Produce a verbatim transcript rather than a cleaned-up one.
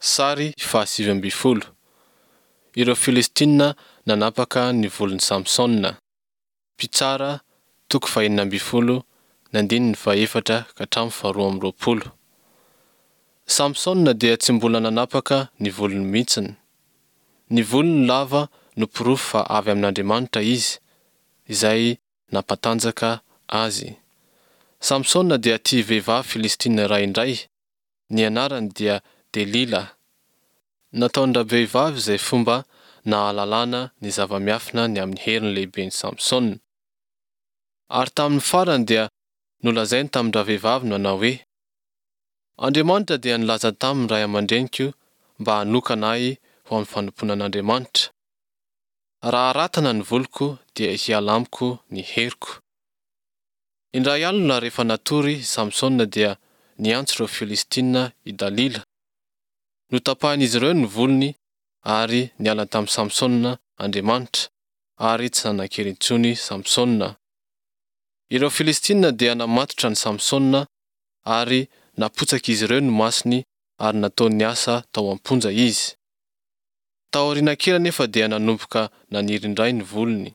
Sary fahasivy ambin'ny folo, Ireo Filistina nanapaka ny volon'i Samsona. Mpitsara, toko fahenina ambin'ny folo, ny andininy fahefatra ka hatramin'ny faharoa amby roapolo. Samsona dia tsy mbola nanapaka ny volony mihitsiny. Ny volony lava no porofo fa avy amin'Andriamanitra izy, izay nampatanjaka azy. Samsona dia tia vehivavy Filistina iray indray. Ny anarany dia Delila. Nataon-dravehivavy izay fomba nahalalana ny zava-miafina ny amin'ny heriny lehiben'i Samsona. Ary tamin'ny farany dia nolazainy tamin-dravehivavy nanao hoe, Andriamanitra dia nilaza tamin'ny ray aman-dreniko mba hanokana ahy ho amin'ny fanompoana an'Andriamanitra. Raha haratana ny voloko dia hiala amiko ny heriko. Indray alina rehefa natory i Samsona dia niantso ireo Filistina i Dalila. Notapahin'izy ireo ny volony ary niala tamin'i Samsona Andriamanitra, ary tsy nanan-kery intsony Samsona. Ireo Filistina dia namatotra an'i Samsona ary napotsak'izy ireo ny masony ary nataony niasa tao am-ponja izy. Taoriana kely anefa dia nanomboka naniry indray ny volony.